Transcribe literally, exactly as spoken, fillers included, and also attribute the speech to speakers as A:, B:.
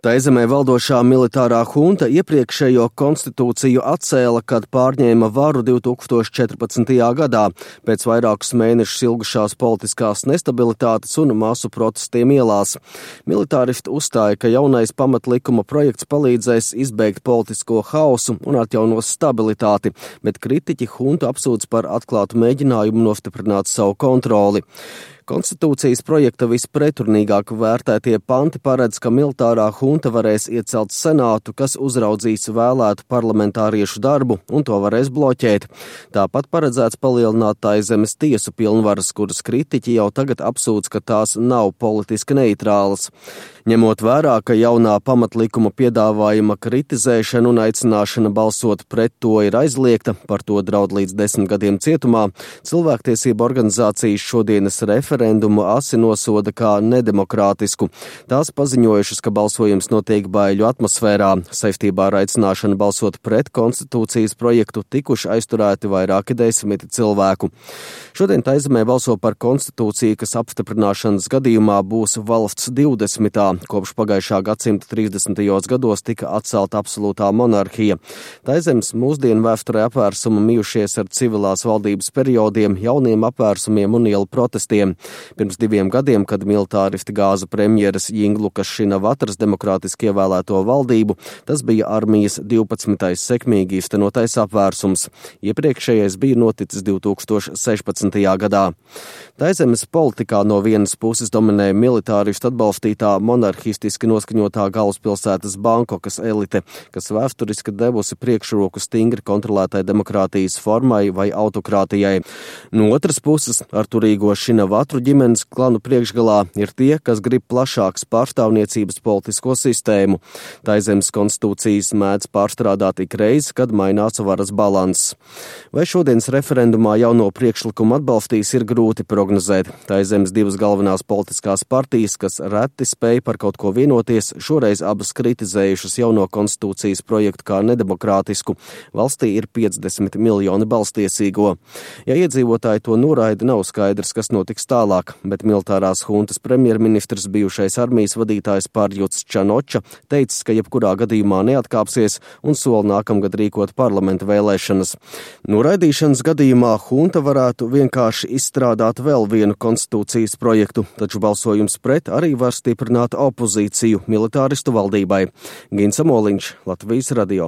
A: Taizemē valdošā militārā hunta iepriekšējo konstitūciju atcēla, kad pārņēma varu divi tūkstoši četrpadsmitajā gadā, pēc vairākus mēnešus ilgušās politiskās nestabilitātes un masu protestiem ielās. Militāristi uzstāja, ka jaunais pamatlikuma projekts palīdzēs izbeigt politisko hausu un atjaunos stabilitāti, bet kritiķi huntu apsūdz par atklātu mēģinājumu nostiprināt savu kontroli. Konstitūcijas projekta vispretrunīgāk vērtētie panti paredz, ka militārā hunta varēs iecelt senātu, kas uzraudzīs vēlētu parlamentāriešu darbu un to varēs bloķēt. Tāpat paredzēts palielināt Taizemes tiesu pilnvaras, kuras kritiķi jau tagad apsūdz, ka tās nav politiski neitrālas. Ņemot vērā, ka jaunā pamatlikuma piedāvājuma kritizēšana un aicināšana balsot pret to ir aizliegta, par to draud līdz desmit gadiem cietumā, cilvēktiesība organizācijas šodienas referendumu asi nosoda kā nedemokrātisku. Tās paziņojušas, ka balsojums notiek baiļu atmosfērā. Saistībā ar aicināšanu balsot pret konstitūcijas projektu tikuši aizturēti vairāki desmiti cilvēku. Šodien Taizemē balso par konstitūciju, kas apstiprināšanas gadījumā būs valsts divdesmitā. Kopš pagājušā gadsimta trīsdesmitajos gados tika atcelta absolūtā monarhija. Taizemes mūsdienu vēsturē apvērsumi mijušies ar civilās valdības periodiem, jauniem apvērsumiem un ielu protestiem. Pirms diviem gadiem, kad militāristi gāza premjeras Jinglukas Šinavatras demokrātiski ievēlēto valdību, tas bija armijas divpadsmitais sekmīgi īstenotais apvērsums. Iepriekšējais bija noticis divi tūkstoši sešpadsmitajā gadā. Taizemes politikā no vienas puses dominē militāristu atbalstītā monarhistiski noskaņotā galvaspilsētas Bankokas elite, kas vēsturiski devusi priekšroku stingri kontrolētai demokrātijas formai vai autokrātijai. No otras puses, ar turīgo Šinavatru ģimenes klanu priekšgalā ir tie, kas grib plašāks pārstāvniecības politisko sistēmu. Taizemes konstitūcijas mēdz pārstrādāt ik reizi, kad mainās varas balanss. Vai šodienas referendumā jauno priekšlikumu atbalstīs, ir grūti prognozēt. Taizemes divas galvenās politiskās partijas, kas reti spēja par kaut ko vienoties, šoreiz abas kritizējušas jauno konstitūcijas projektu kā nedemokrātisku. Valstī ir piecdesmit miljoni balstiesīgo. Ja iedzīvotāji to noraida, nav skaidrs, kas notiks tālāk, bet militārās huntas premjerministrs, bijušais armijas vadītājs Pārjuts Čanoča, teicis, ka jebkurā gadījumā neatkāpsies un sola nākamgad rīkot parlamenta vēlēšanas. Noraidīšanas gadījumā hunta varētu vienkārši izstrādāt vēl vienu konstitūcijas projektu, taču balsojums pret arī var stiprināt opozīciju militāristu valdībai. Gins Amoliņš, Latvijas radio.